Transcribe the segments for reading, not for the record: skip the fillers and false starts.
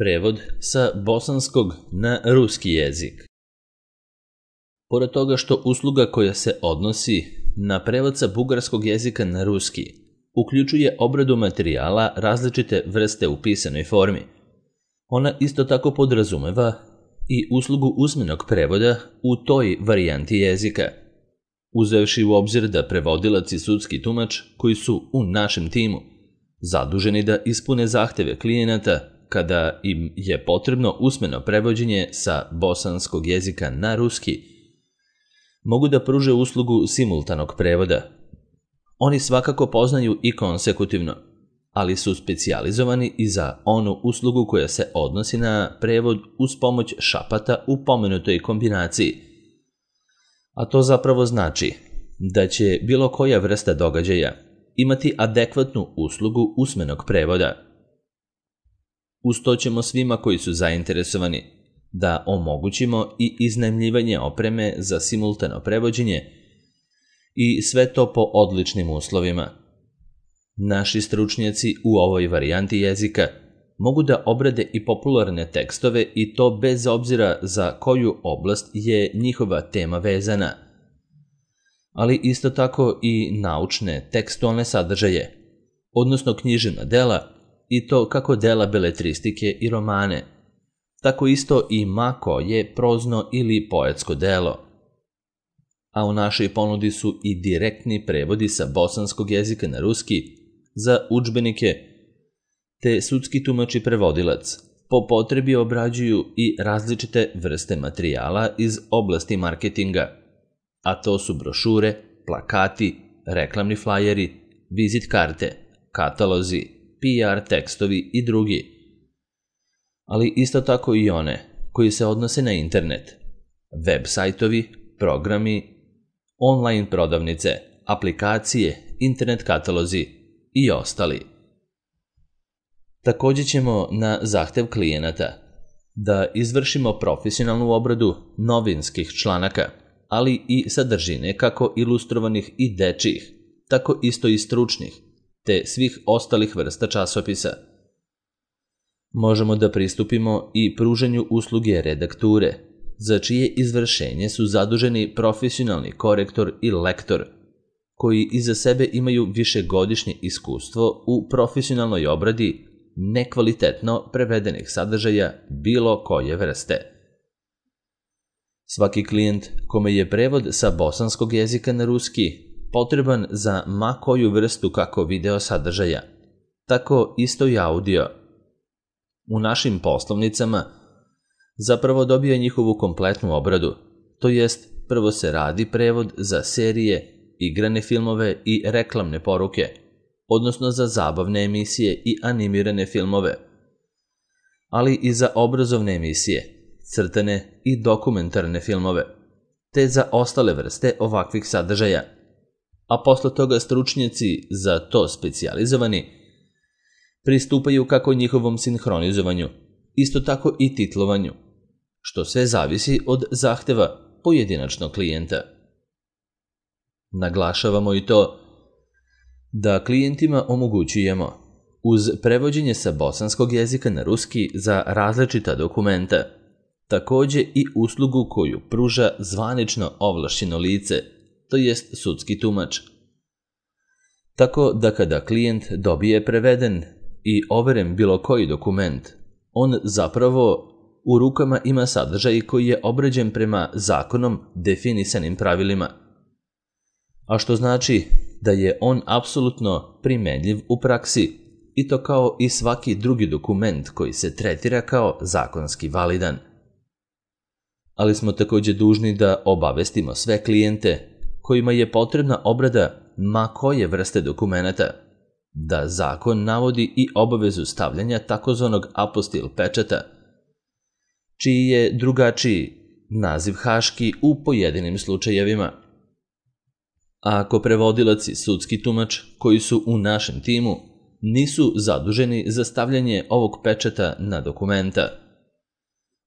Prevod sa bosanskog na ruski jezik. Pored toga što usluga koja se odnosi na prevod sa bugarskog jezika na ruski uključuje obradu materijala različite vrste u pisanoj formi, ona isto tako podrazumeva i uslugu usmenog prevoda u toj varijanti jezika, uzevši u obzir da prevodilac i sudski tumač koji su u našem timu zaduženi da ispune zahteve klijenata kada im je potrebno usmeno prevođenje sa bosanskog jezika na ruski, mogu da pruže uslugu simultanog prevoda. Oni svakako poznaju i konsekutivno, ali su specijalizovani i za onu uslugu koja se odnosi na prevod uz pomoć šapata u pomenutoj kombinaciji. A to zapravo znači da će bilo koja vrsta događaja imati adekvatnu uslugu usmenog prevoda. Uz to ćemo svima koji su zainteresovani da omogućimo i iznajmljivanje opreme za simultano prevođenje i sve to po odličnim uslovima. Naši stručnjaci u ovoj varijanti jezika mogu da obrade i popularne tekstove i to bez obzira za koju oblast je njihova tema vezana, ali isto tako i naučne tekstualne sadržaje, odnosno književna dela i to kako dela beletristike i romane, tako isto i ma koje prozno ili poetsko delo. A u našoj ponudi su i direktni prevodi sa bosanskog jezika na ruski za udžbenike, te sudski tumač i prevodilac po potrebi obrađuju i različite vrste materijala iz oblasti marketinga, a to su brošure, plakati, reklamni flajeri, vizit karte, katalozi, PR tekstovi i drugi, ali isto tako i one koji se odnose na internet, web sajtovi, programi, online prodavnice, aplikacije, internet katalozi i ostali. Također ćemo na zahtev klijenata da izvršimo profesionalnu obradu novinskih članaka, ali i sadržine kako ilustrovanih i dečjih, tako isto i stručnih, te svih ostalih vrsta časopisa. Možemo da pristupimo i pruženju usluge redakture, za čije izvršenje su zaduženi profesionalni korektor i lektor, koji iza sebe imaju višegodišnje iskustvo u profesionalnoj obradi nekvalitetno prevedenih sadržaja bilo koje vrste. Svaki klijent kome je prevod sa bosanskog jezika na ruski potreban za ma koju vrstu kako video sadržaja, tako isto i audio, u našim poslovnicama zapravo dobija njihovu kompletnu obradu, to jest prvo se radi prevod za serije, igrane filmove i reklamne poruke, odnosno za zabavne emisije i animirane filmove, ali i za obrazovne emisije, crtane i dokumentarne filmove, te za ostale vrste ovakvih sadržaja. A posle toga stručnjaci za to specijalizovani pristupaju kako njihovom sinhronizovanju, isto tako i titlovanju, što sve zavisi od zahteva pojedinačnog klijenta. Naglašavamo i to da klijentima omogućujemo, uz prevođenje sa bosanskog jezika na ruski za različita dokumenta, također i uslugu koju pruža zvanično ovlašćeno lice, to jest sudski tumač. Tako da kada klijent dobije preveden i overen bilo koji dokument, on zapravo u rukama ima sadržaj koji je obrađen prema zakonom definisanim pravilima, a što znači da je on apsolutno primenljiv u praksi i to kao i svaki drugi dokument koji se tretira kao zakonski validan. Ali smo također dužni da obavestimo sve klijente kojima je potrebna obrada ma koje vrste dokumenata, da zakon navodi i obavezu stavljanja takozvanog apostil pečata, čiji je drugačiji naziv haški u pojedinim slučajevima. A ako prevodilac i sudski tumač koji su u našem timu nisu zaduženi za stavljanje ovog pečata na dokumenta,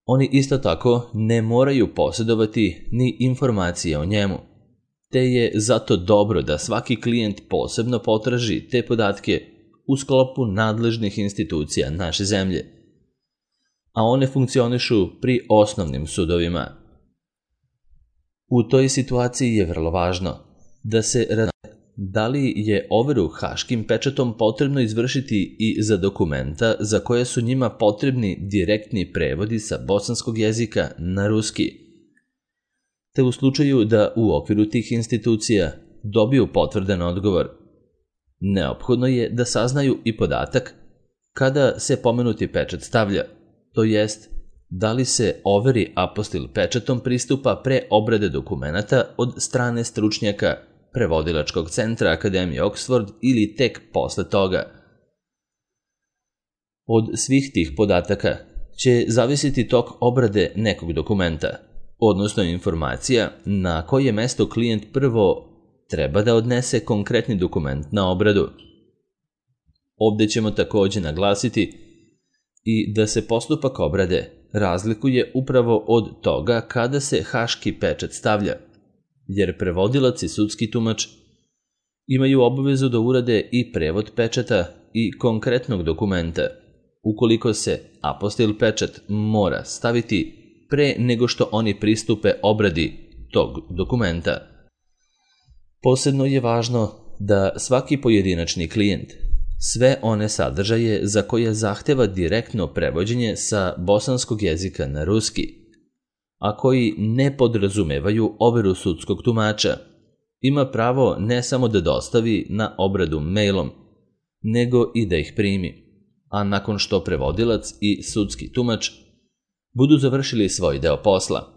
oni isto tako ne moraju posjedovati ni informacije o njemu, te je zato dobro da svaki klijent posebno potraži te podatke u sklopu nadležnih institucija naše zemlje, a one funkcionišu pri osnovnim sudovima. U toj situaciji je vrlo važno da se razumije da li je overu haškim pečatom potrebno izvršiti i za dokumenta za koje su njima potrebni direktni prevodi sa bosanskog jezika na ruski, te u slučaju da u okviru tih institucija dobiju potvrdan odgovor. Neophodno je da saznaju i podatak kada se pomenuti pečat stavlja, to jest da li se overi apostil pečatom pristupa pre obrade dokumenata od strane stručnjaka Prevodilačkog centra Akademije Oxford ili tek posle toga. Od svih tih podataka će zavisiti tok obrade nekog dokumenta, odnosno informacija na koje mesto klijent prvo treba da odnese konkretni dokument na obradu. Ovde ćemo takođe naglasiti i da se postupak obrade razlikuje upravo od toga kada se haški pečat stavlja, jer prevodilac i sudski tumač imaju obavezu da urade i prevod pečata i konkretnog dokumenta, ukoliko se apostil pečat mora staviti pre nego što oni pristupe obradi tog dokumenta. Posebno je važno da svaki pojedinačni klijent sve one sadržaje za koje zahteva direktno prevođenje sa bosanskog jezika na ruski, a koji ne podrazumevaju overu sudskog tumača, ima pravo ne samo da dostavi na obradu mailom, nego i da ih primi, a nakon što prevodilac i sudski tumač budu završili svoj deo posla.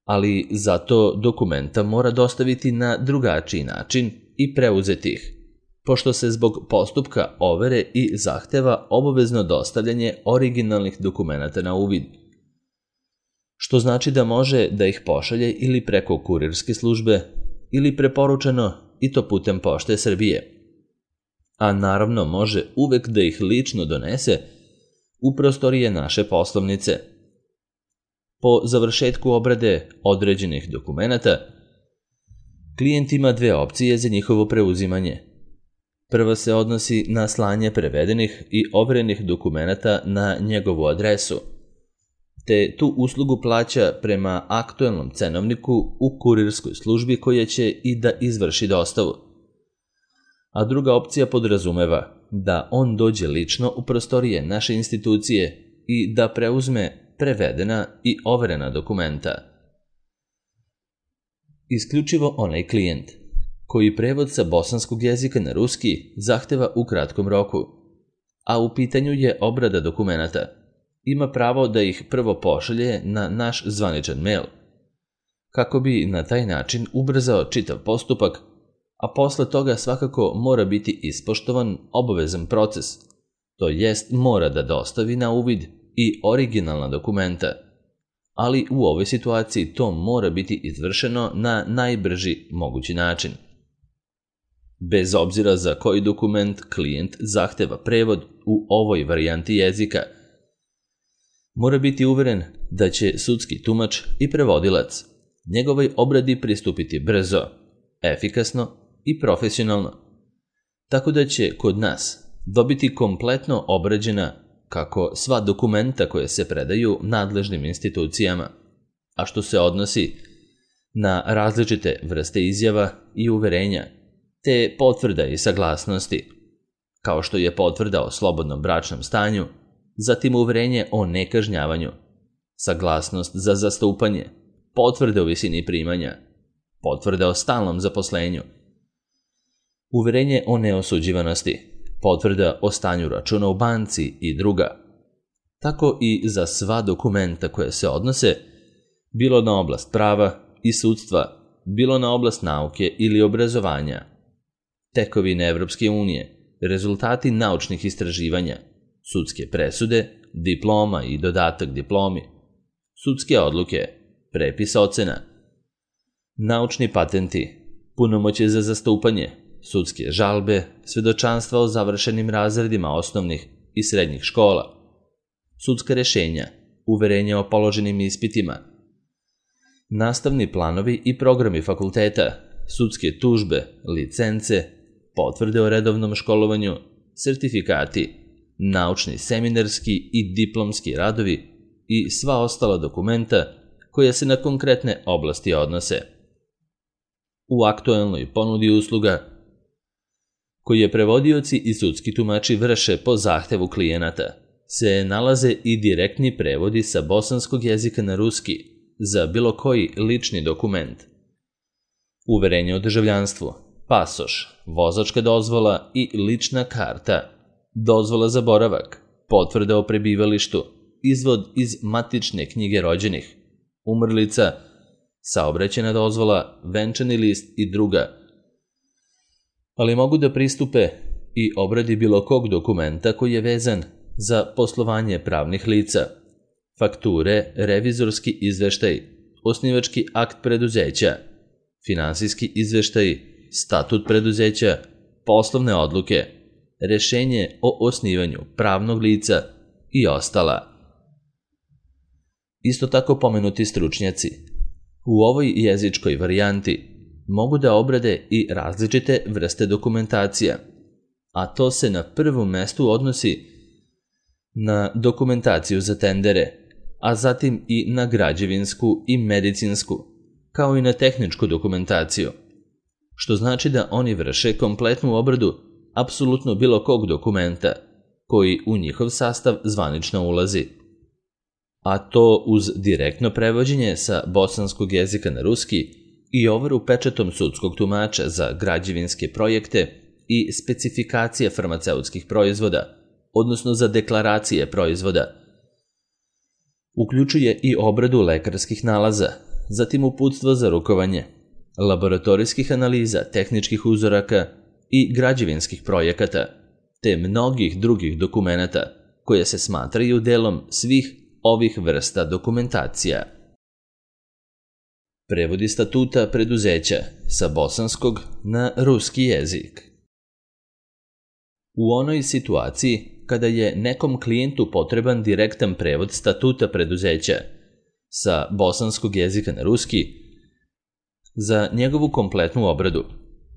Ali zato dokumenta mora dostaviti na drugačiji način i preuzeti ih, pošto se zbog postupka overe i zahteva obavezno dostavljanje originalnih dokumenata na uvid, što znači da može da ih pošalje ili preko kurirske službe ili preporučeno i to putem Pošte Srbije, a naravno može uvek da ih lično donese u prostorije naše poslovnice. Po završetku obrade određenih dokumenata, klijent ima dve opcije za njihovo preuzimanje. Prva se odnosi na slanje prevedenih i overenih dokumenata na njegovu adresu, te tu uslugu plaća prema aktuelnom cenovniku u kurirskoj službi koja će i da izvrši dostavu. A druga opcija podrazumeva da on dođe lično u prostorije naše institucije i da preuzme prevedena i overena dokumenta. Isključivo onaj klijent koji prevod sa bosanskog jezika na ruski zahteva u kratkom roku, a u pitanju je obrada dokumenata, ima pravo da ih prvo pošalje na naš zvaničan mail, kako bi na taj način ubrzao čitav postupak, a posle toga svakako mora biti ispoštovan obavezan proces, to jest mora da dostavi na uvid i originalna dokumenta, ali u ovoj situaciji to mora biti izvršeno na najbrži mogući način. Bez obzira za koji dokument klijent zahteva prevod u ovoj varijanti jezika, mora biti uveren da će sudski tumač i prevodilac njegovoj obradi pristupiti brzo, efikasno i profesionalno, tako da će kod nas dobiti kompletno obrađena kako sva dokumenta koje se predaju nadležnim institucijama, a što se odnosi na različite vrste izjava i uverenja, te potvrda i saglasnosti, kao što je potvrda o slobodnom bračnom stanju, zatim uverenje o nekažnjavanju, saglasnost za zastupanje, potvrde o visini primanja, potvrda o stalnom zaposlenju, uverenje o neosuđivanosti, potvrda o stanju računa u banci i druga. Tako i za sva dokumenta koje se odnose, bilo na oblast prava i sudstva, bilo na oblast nauke ili obrazovanja, tekovine Evropske unije, rezultati naučnih istraživanja, sudske presude, diploma i dodatak diplomi, sudske odluke, prepis ocena, naučni patenti, punomoćje za zastupanje, sudske žalbe, svedočanstva o završenim razredima osnovnih i srednjih škola, sudska rešenja, uverenja o položenim ispitima, nastavni planovi i programi fakulteta, sudske tužbe, licence, potvrde o redovnom školovanju, sertifikati, naučni, seminarski i diplomski radovi i sva ostala dokumenta koja se na konkretne oblasti odnose. U aktuelnoj ponudi usluga koje prevodioci i sudski tumači vrše po zahtevu klijenata se nalaze i direktni prevodi sa bosanskog jezika na ruski za bilo koji lični dokument. Uverenje o državljanstvu, pasoš, vozačka dozvola i lična karta, dozvola za boravak, potvrda o prebivalištu, izvod iz matične knjige rođenih, umrlica, saobraćajna dozvola, venčani list i druga. Ali mogu da pristupe i obradi bilo kog dokumenta koji je vezan za poslovanje pravnih lica, fakture, revizorski izveštaj, osnivački akt preduzeća, finansijski izveštaj, statut preduzeća, poslovne odluke, rešenje o osnivanju pravnog lica i ostala. Isto tako pomenuti stručnjaci u ovoj jezičkoj varijanti mogu da obrade i različite vrste dokumentacija, a to se na prvom mestu odnosi na dokumentaciju za tendere, a zatim i na građevinsku i medicinsku, kao i na tehničku dokumentaciju, što znači da oni vrše kompletnu obradu apsolutno bilo kog dokumenta koji u njihov sastav zvanično ulazi. A to uz direktno prevođenje sa bosanskog jezika na ruski i overu pečatom sudskog tumača za građevinske projekte i specifikacije farmaceutskih proizvoda, odnosno za deklaracije proizvoda. Uključuje i obradu lekarskih nalaza, zatim uputstvo za rukovanje, laboratorijskih analiza, tehničkih uzoraka i građevinskih projekata, te mnogih drugih dokumenata koje se smatraju delom svih ovih vrsta dokumentacija. Prevodi statuta preduzeća sa bosanskog na ruski jezik. U onoj situaciji kada je nekom klijentu potreban direktan prevod statuta preduzeća sa bosanskog jezika na ruski, za njegovu kompletnu obradu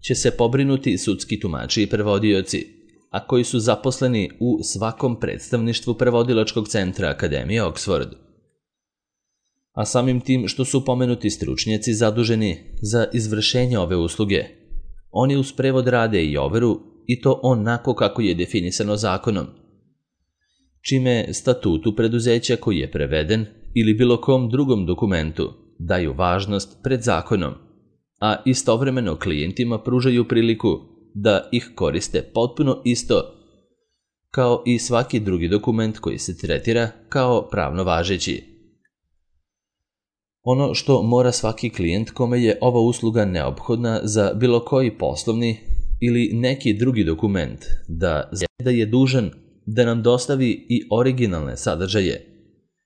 će se pobrinuti sudski tumači i prevodioci, a koji su zaposleni u svakom predstavništvu prevodilačkog centra Akademije Oxford. A samim tim što su pomenuti stručnjaci zaduženi za izvršenje ove usluge, oni uz prevod rade i overu i to onako kako je definisano zakonom, čime statutu preduzeća koji je preveden ili bilo kom drugom dokumentu daju važnost pred zakonom, a istovremeno klijentima pružaju priliku da ih koriste potpuno isto kao i svaki drugi dokument koji se tretira kao pravno važeći. Ono što mora svaki klijent kome je ova usluga neophodna za bilo koji poslovni ili neki drugi dokument da je dužan da nam dostavi i originalne sadržaje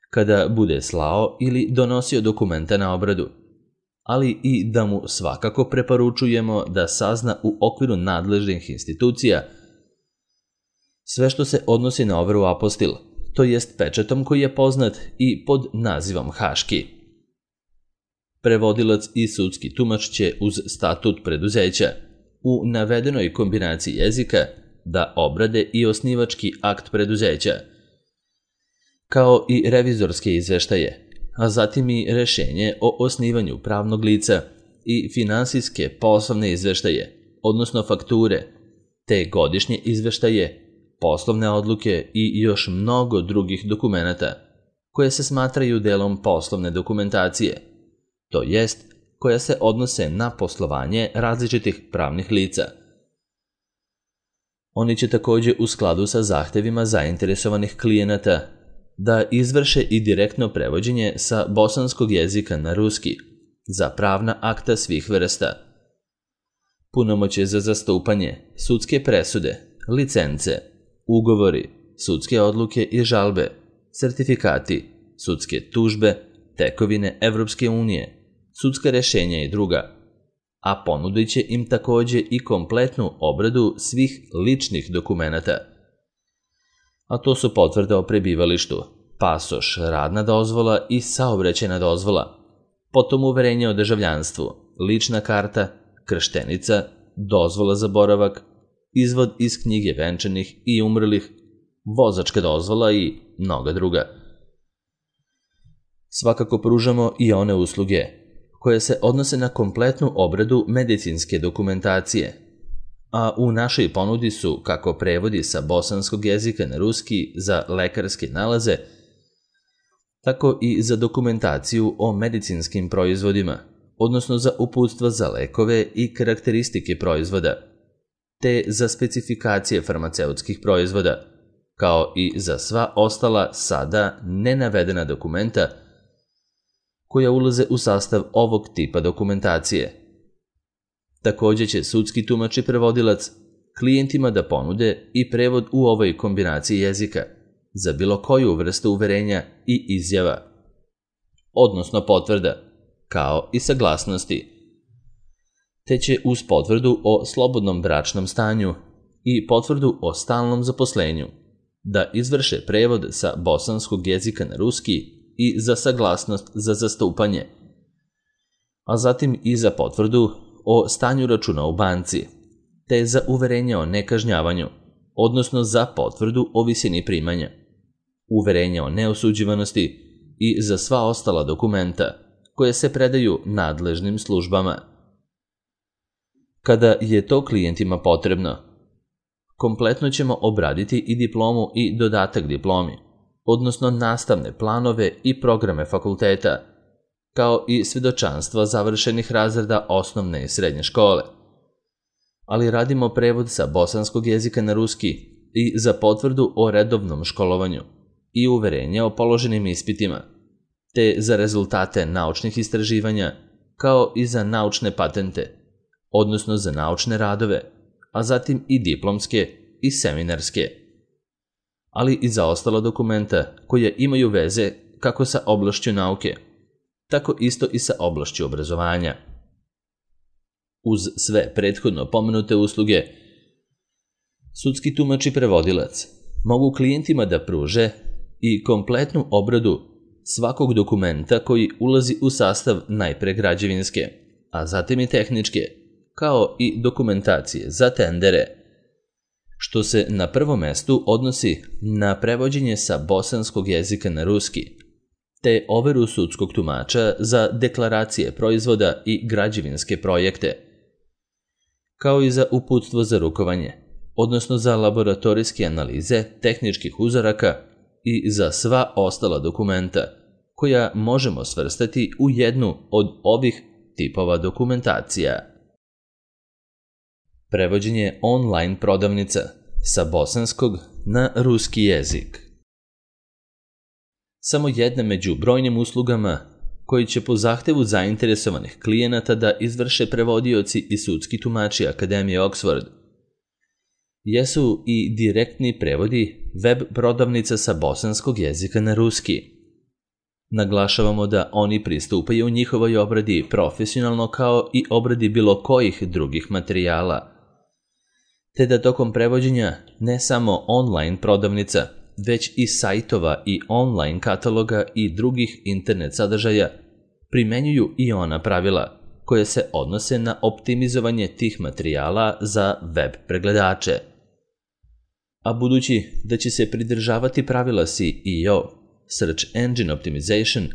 kada bude slao ili donosio dokumenta na obradu, ali i da mu svakako preporučujemo da sazna u okviru nadležnih institucija sve što se odnosi na overu apostil, to jest pečatom koji je poznat i pod nazivom haški. Prevodilac i sudski tumač će uz statut preduzeća u navedenoj kombinaciji jezika da obrade i osnivački akt preduzeća, kao i revizorske izveštaje, a zatim i rešenje o osnivanju pravnog lica i finansijske poslovne izveštaje, odnosno fakture, te godišnje izveštaje, poslovne odluke i još mnogo drugih dokumenata koje se smatraju delom poslovne dokumentacije, to jest koja se odnose na poslovanje različitih pravnih lica. Oni će također u skladu sa zahtevima zainteresovanih klijenata da izvrše i direktno prevođenje sa bosanskog jezika na ruski za pravna akta svih vrsta, punomoćje za zastupanje, sudske presude, licence, ugovori, sudske odluke i žalbe, sertifikati, sudske tužbe, tekovine Evropske unije, sudska rešenja i druga, a ponudit će im također i kompletnu obradu svih ličnih dokumenata. A to su potvrda o prebivalištu, pasoš, radna dozvola i saobraćajna dozvola, potom uverenje o državljanstvu, lična karta, krštenica, dozvola za boravak, izvod iz knjige venčanih i umrlih, vozačka dozvola i mnoga druga. Svakako pružamo i one usluge koje se odnose na kompletnu obradu medicinske dokumentacije, a u našoj ponudi su kako prevodi sa bosanskog jezika na ruski za lekarske nalaze, tako i za dokumentaciju o medicinskim proizvodima, odnosno za uputstva za lekove i karakteristike proizvoda, te za specifikacije farmaceutskih proizvoda, kao i za sva ostala sada nenavedena dokumenta koja ulaze u sastav ovog tipa dokumentacije. Također će sudski tumač i prevodilac klijentima da ponude i prevod u ovoj kombinaciji jezika za bilo koju vrstu uverenja i izjava, odnosno potvrda, kao i saglasnosti, te će uz potvrdu o slobodnom bračnom stanju i potvrdu o stalnom zaposlenju da izvrše prevod sa bosanskog jezika na ruski i za saglasnost za zastupanje, a zatim i za potvrdu o stanju računa u banci, te za uverenje o nekažnjavanju, odnosno za potvrdu o visini primanja, uverenje o neosuđivanosti i za sva ostala dokumenta koje se predaju nadležnim službama. Kada je to klijentima potrebno, kompletno ćemo obraditi i diplomu i dodatak diplomi, odnosno nastavne planove i programe fakulteta, kao i svjedočanstva završenih razreda osnovne i srednje škole. Ali radimo prevod sa bosanskog jezika na ruski i za potvrdu o redovnom školovanju i uverenje o položenim ispitima, te za rezultate naučnih istraživanja, kao i za naučne patente, odnosno za naučne radove, a zatim i diplomske i seminarske, ali i za ostala dokumenta koja imaju veze kako sa oblašću nauke, tako isto i sa oblašću obrazovanja. Uz sve prethodno pomenute usluge, sudski tumač i prevodilac mogu klijentima da pruže i kompletnu obradu svakog dokumenta koji ulazi u sastav najpre građevinske, a zatim i tehničke, kao i dokumentacije za tendere, što se na prvom mestu odnosi na prevođenje sa bosanskog jezika na ruski, te overu sudskog tumača za deklaracije proizvoda i građevinske projekte, kao i za uputstvo za rukovanje, odnosno za laboratorijske analize tehničkih uzoraka i za sva ostala dokumenta koja možemo svrstati u jednu od ovih tipova dokumentacija. Prevođenje online prodavnica sa bosanskog na ruski jezik. Samo jedna među brojnim uslugama koji će po zahtevu zainteresovanih klijenata da izvrše prevodioci i sudski tumači Akademije Oxford jesu i direktni prevodi web prodavnica sa bosanskog jezika na ruski. Naglašavamo da oni pristupaju u njihovoj obradi profesionalno kao i obradi bilo kojih drugih materijala, te da tokom prevođenja ne samo online prodavnica, već i sajtova i online kataloga i drugih internet sadržaja primenjuju i ona pravila koje se odnose na optimizovanje tih materijala za web pregledače. A budući da će se pridržavati pravila SEO, Search Engine Optimization,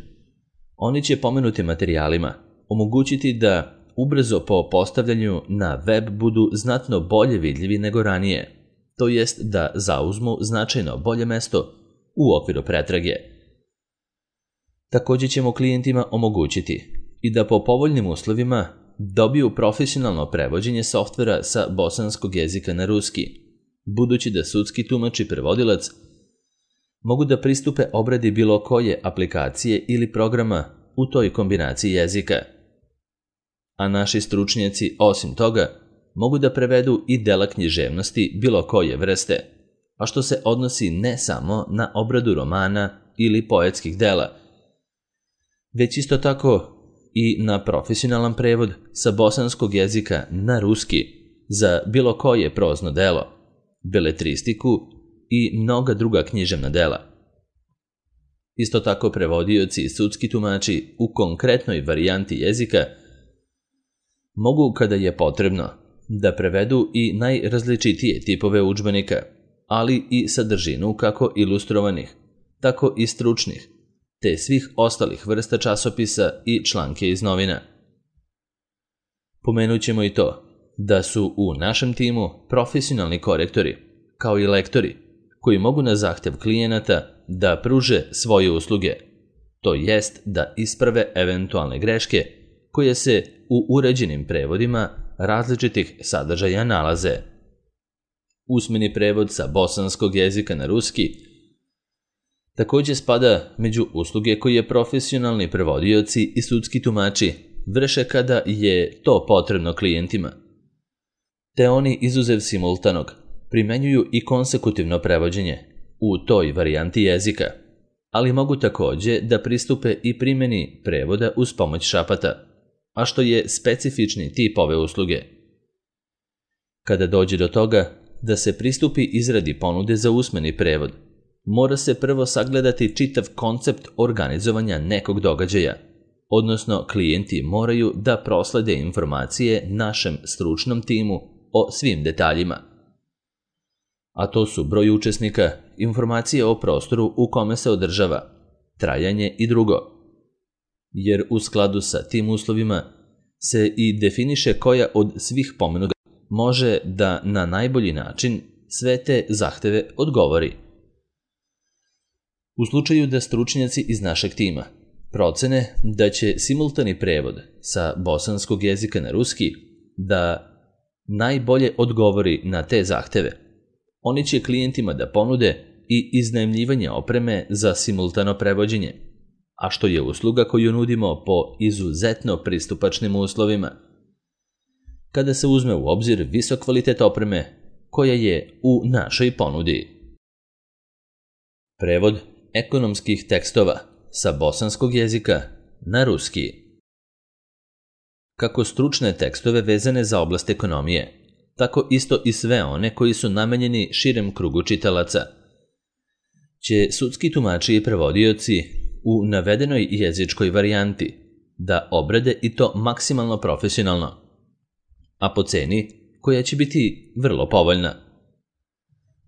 oni će pomenutim materijalima omogućiti da ubrzo po postavljanju na web budu znatno bolje vidljivi nego ranije, to jest da zauzmu značajno bolje mesto u okviru pretrage. Također ćemo klijentima omogućiti i da po povoljnim uslovima dobiju profesionalno prevođenje softvera sa bosanskog jezika na ruski, budući da sudski tumač i prevodilac mogu da pristupe obradi bilo koje aplikacije ili programa u toj kombinaciji jezika. A naši stručnjaci, osim toga, mogu da prevedu i dela književnosti bilo koje vrste, a što se odnosi ne samo na obradu romana ili poetskih dela, već isto tako i na profesionalan prevod sa bosanskog jezika na ruski za bilo koje prozno delo, beletristiku i mnoga druga književna dela. Isto tako prevodioci i sudski tumači u konkretnoj varijanti jezika mogu, kada je potrebno, da prevedu i najrazličitije tipove udžbenika, ali i sadržinu kako ilustrovanih, tako i stručnih, te svih ostalih vrsta časopisa i članke iz novina. Pomenut ćemo i to da su u našem timu profesionalni korektori, kao i lektori, koji mogu na zahtev klijenata da pruže svoje usluge, to jest da isprave eventualne greške koje se u uređenim prevodima različitih sadržaja nalaze. Usmeni prevod sa bosanskog jezika na ruski također spada među usluge koje profesionalni prevodioci i sudski tumači vrše kada je to potrebno klijentima. Te oni, izuzev simultanog, primenjuju i konsekutivno prevođenje u toj varijanti jezika, ali mogu također da pristupe i primjeni prevoda uz pomoć šapata, a što je specifični tip ove usluge. Kada dođe do toga da se pristupi izradi ponude za usmeni prevod, mora se prvo sagledati čitav koncept organizovanja nekog događaja, odnosno klijenti moraju da proslede informacije našem stručnom timu o svim detaljima. A to su broj učesnika, informacije o prostoru u kome se održava, trajanje i drugo. Jer u skladu sa tim uslovima se i definiše koja od svih pomenutih može da na najbolji način sve te zahteve odgovori. U slučaju da stručnjaci iz našeg tima procene da će simultani prevod sa bosanskog jezika na ruski da najbolje odgovori na te zahteve, oni će klijentima da ponude i iznajmljivanje opreme za simultano prevođenje, a što je usluga koju nudimo po izuzetno pristupačnim uslovima. Kada se uzme u obzir visok kvalitet opreme koja je u našoj ponudi. Prevod ekonomskih tekstova sa bosanskog jezika na ruski. Kako stručne tekstove vezane za oblast ekonomije, tako isto i sve one koji su namenjeni širem krugu čitalaca, će sudski tumači i prevodioci u navedenoj jezičkoj varijanti da obrade i to maksimalno profesionalno, a po ceni koja će biti vrlo povoljna.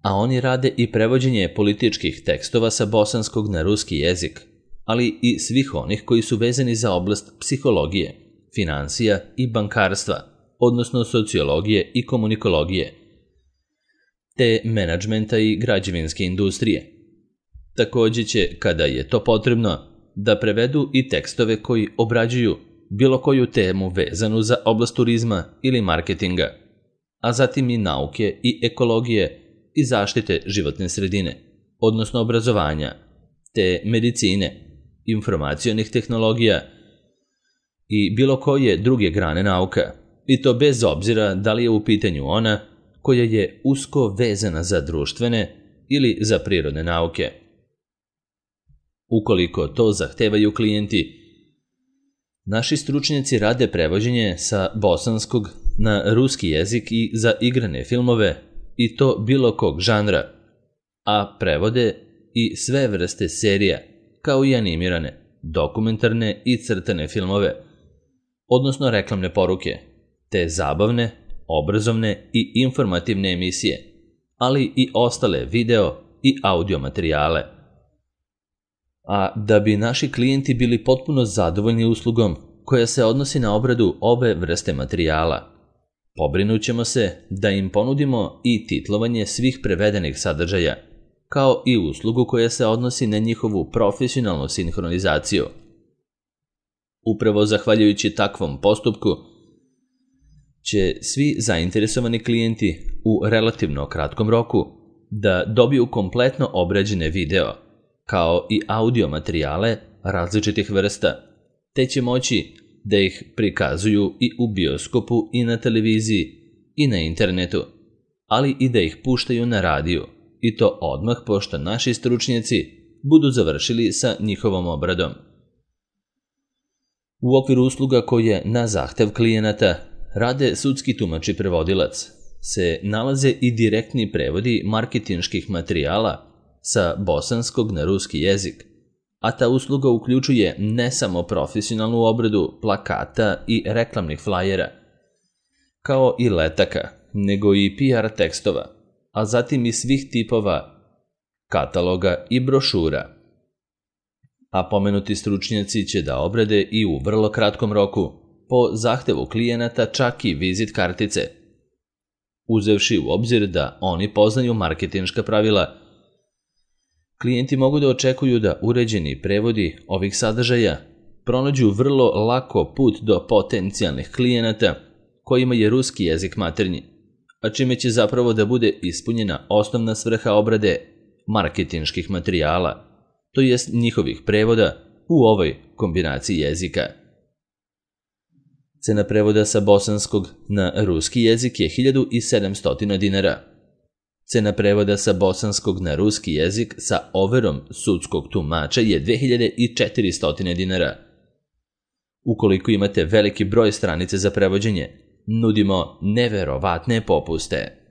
A oni rade i prevođenje političkih tekstova sa bosanskog na ruski jezik, ali i svih onih koji su vezani za oblast psihologije, finansija i bankarstva, odnosno sociologije i komunikologije, te menadžmenta i građevinske industrije. Također će, kada je to potrebno, da prevedu i tekstove koji obrađuju bilo koju temu vezanu za oblast turizma ili marketinga, a zatim i nauke i ekologije i zaštite životne sredine, odnosno obrazovanja, te medicine, informacionih tehnologija i bilo koje druge grane nauka, i to bez obzira da li je u pitanju ona koja je usko vezana za društvene ili za prirodne nauke. Ukoliko to zahtevaju klijenti, naši stručnjaci rade prevođenje sa bosanskog na ruski jezik i za igrane filmove, i to bilo kog žanra, a prevode i sve vrste serija, kao i animirane, dokumentarne i crtane filmove, odnosno reklamne poruke, te zabavne, obrazovne i informativne emisije, ali i ostale video i audio materijale. A da bi naši klijenti bili potpuno zadovoljni uslugom koja se odnosi na obradu ove vrste materijala, pobrinut ćemo se da im ponudimo i titlovanje svih prevedenih sadržaja, kao i uslugu koja se odnosi na njihovu profesionalnu sinhronizaciju. Upravo zahvaljujući takvom postupku će svi zainteresovani klijenti u relativno kratkom roku da dobiju kompletno obrađene video, kao i audio materijale različitih vrsta, te će moći da ih prikazuju i u bioskopu i na televiziji i na internetu, ali i da ih puštaju na radiju, i to odmah pošto naši stručnjaci budu završili sa njihovom obradom. U okviru usluga koje na zahtev klijenata rade sudski tumač i prevodilac se nalaze i direktni prevodi marketinških materijala sa bosanskog na ruski jezik, a ta usluga uključuje ne samo profesionalnu obradu plakata i reklamnih flajera, kao i letaka, nego i PR tekstova, a zatim i svih tipova kataloga i brošura. A pomenuti stručnjaci će da obrade i u vrlo kratkom roku, po zahtevu klijenata čak i vizit kartice. Uzevši u obzir da oni poznaju marketinška pravila, klijenti mogu da očekuju da uređeni prevodi ovih sadržaja pronađu vrlo lako put do potencijalnih klijenata kojima je ruski jezik maternji, a čime će zapravo da bude ispunjena osnovna svrha obrade marketinških materijala, to jest njihovih prevoda u ovoj kombinaciji jezika. Cena prevoda sa bosanskog na ruski jezik je 1700 dinara. Cena prevoda sa bosanskog na ruski jezik sa overom sudskog tumača je 2400 dinara. Ukoliko imate veliki broj stranice za prevođenje, nudimo neverovatne popuste.